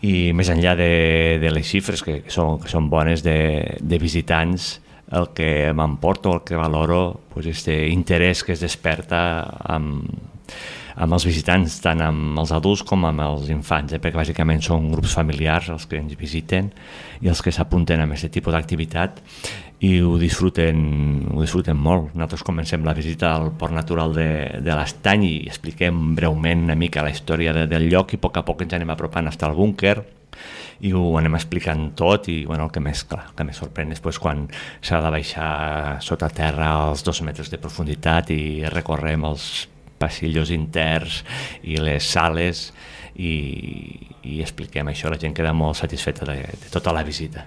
I més enllà de les xifres, que són bones de visitants, el que m'emporto, el que valoro, és l'interès que es desperta amb els visitants, tant amb els adults com amb els infants, perquè bàsicament són grups familiars els que ens visiten i els que s'apunten a aquest tipus d'activitat i ho disfruten molt. Nosaltres comencem la visita al Port Natural de l'Estany i expliquem breument una mica la història del lloc i a poc ens anem apropant fins al búnquer i ho anem explicant tot i el que més sorprèn és quan s'ha de baixar sota terra als 2 metres de profunditat i recorrem els passillos interns i les sales i expliquem això, la gent queda molt satisfeta de tota la visita.